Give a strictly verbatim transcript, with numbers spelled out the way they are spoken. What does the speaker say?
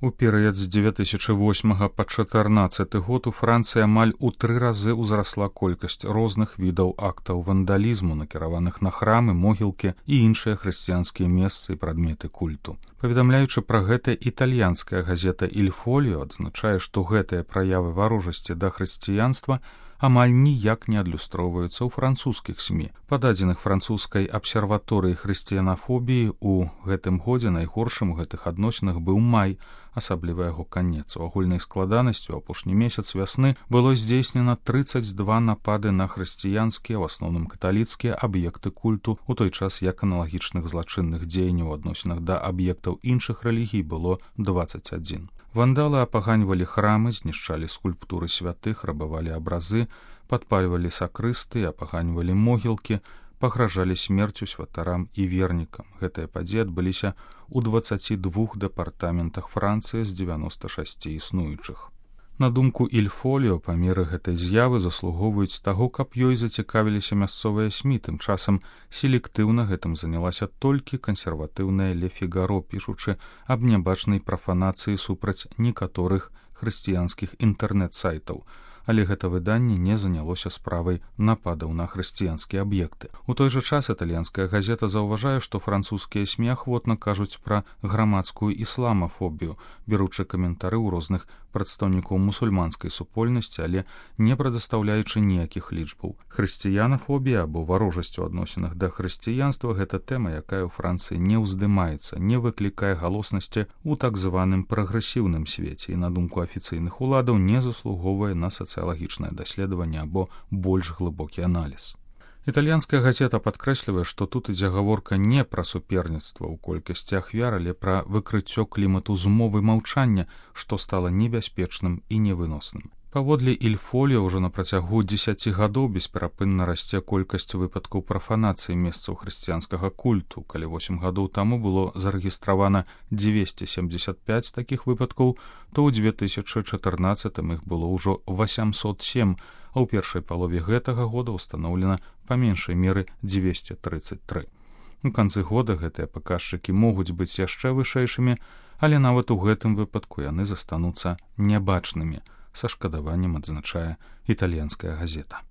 У перыяд з дзве тысячы восьмага па чатырнаццаты год у Францыі амаль у тры разы ўзрасла колькасць розных відаў актаў вандалізму, накіраваных на храмы, могілкі і іншыя хрысціянскія месцы і прадметы культу. Паведамляючы пра гэта, італьянская газета «Иль Фоліо» адзначае, што гэтыя праявы варожасці да хрысціянства амаль ніяк не адлюстроўваюцца ў французскіх СМІ. Па дадзеных французскай абсерваторыі хрысціянафобіі, у гэтым годзе найгоршым у гэтых адносінах быў май, асабліва яго канец. У агульнай складанасці ў апошні месяц вясны было здзейснена трыццаць два напады на хрысціянскія, у асноўным каталіцкія, аб'екты культу, у той час як аналагічных злачынных дзеянняў у адносінах да аб'ектаў іншых рэлігій было дваццаць адзін. Вандалы апаганьвалі храмы, знішчалі скульптуры святых, рабавалі абразы, падпальвалі сакрысты, апаганьвалі могілкі, пагражалі смерцю святарам і вернікам. Гэтыя падзеі адбыліся ў дваццаці двух дэпартаментах Францыі з дзевяноста шасці існуючых. На думку «Иль Фоліо», памеры гэтай з'явы заслугоўваюць таго, каб ёй зацікавіліся мясцовыя СМІ. Тым часам селектыўна гэтым занялася толькі кансерватыўная «Ле Фігаро», пішучы аб нябачнай прафанацыі супраць некаторых хрысціянскіх інтэрнэт-сайтаў. Але гэта выданне не занялося справай нападаў на хрысціянскія аб'екты. У той жа час італьянская газета заўважае, што французскія СМІ ахвотна кажуць пра грамадскую ісламафобію, беручы каментары ў розных прадстаўнікоў мусульманскай супольнасці, але не прадастаўляючы ніякіх лічбаў. Хрысціянафобія або варожасць у адносінах да хрысціянства – гэта тэма, якая ў Францыі не ўздымаецца, не выклікае галоснасці ў так званым прагрэсіўным свеце і, на думку афіцыйных уладаў, не заслугоўвае на сацыялагічнае даследаванне або больш глыбокі аналіз. Італьянская газета падкрэслівае, што тут ідзе гаворка не пра суперніцтва ў колькасці ахвяр, але пра выкрыццё клімату змовы маўчання, што стала небяспечным і невыносным. Паводле «Иль Фоліо», ўжо на працягу дзесяці гадоў бесперапынна расце колькасць выпадкаў прафанацыі месцаў хрысціянскага культу. Калі восем гадоў таму было зарэгістравана дзвесце семдзесят пяць такіх выпадкаў, то ў дзве тысячы чатырнаццатым іх было ўжо васямсот сем, а ў першай палове гэтага года ўстаноўлена па меншай меры дзвесце трыццаць тры. У канцы года гэтыя паказчыкі могуць быць яшчэ вышэйшымі, але нават у гэтым выпадку яны застануцца нябачнымі, са шкадаваннем адзначае італьянская газета.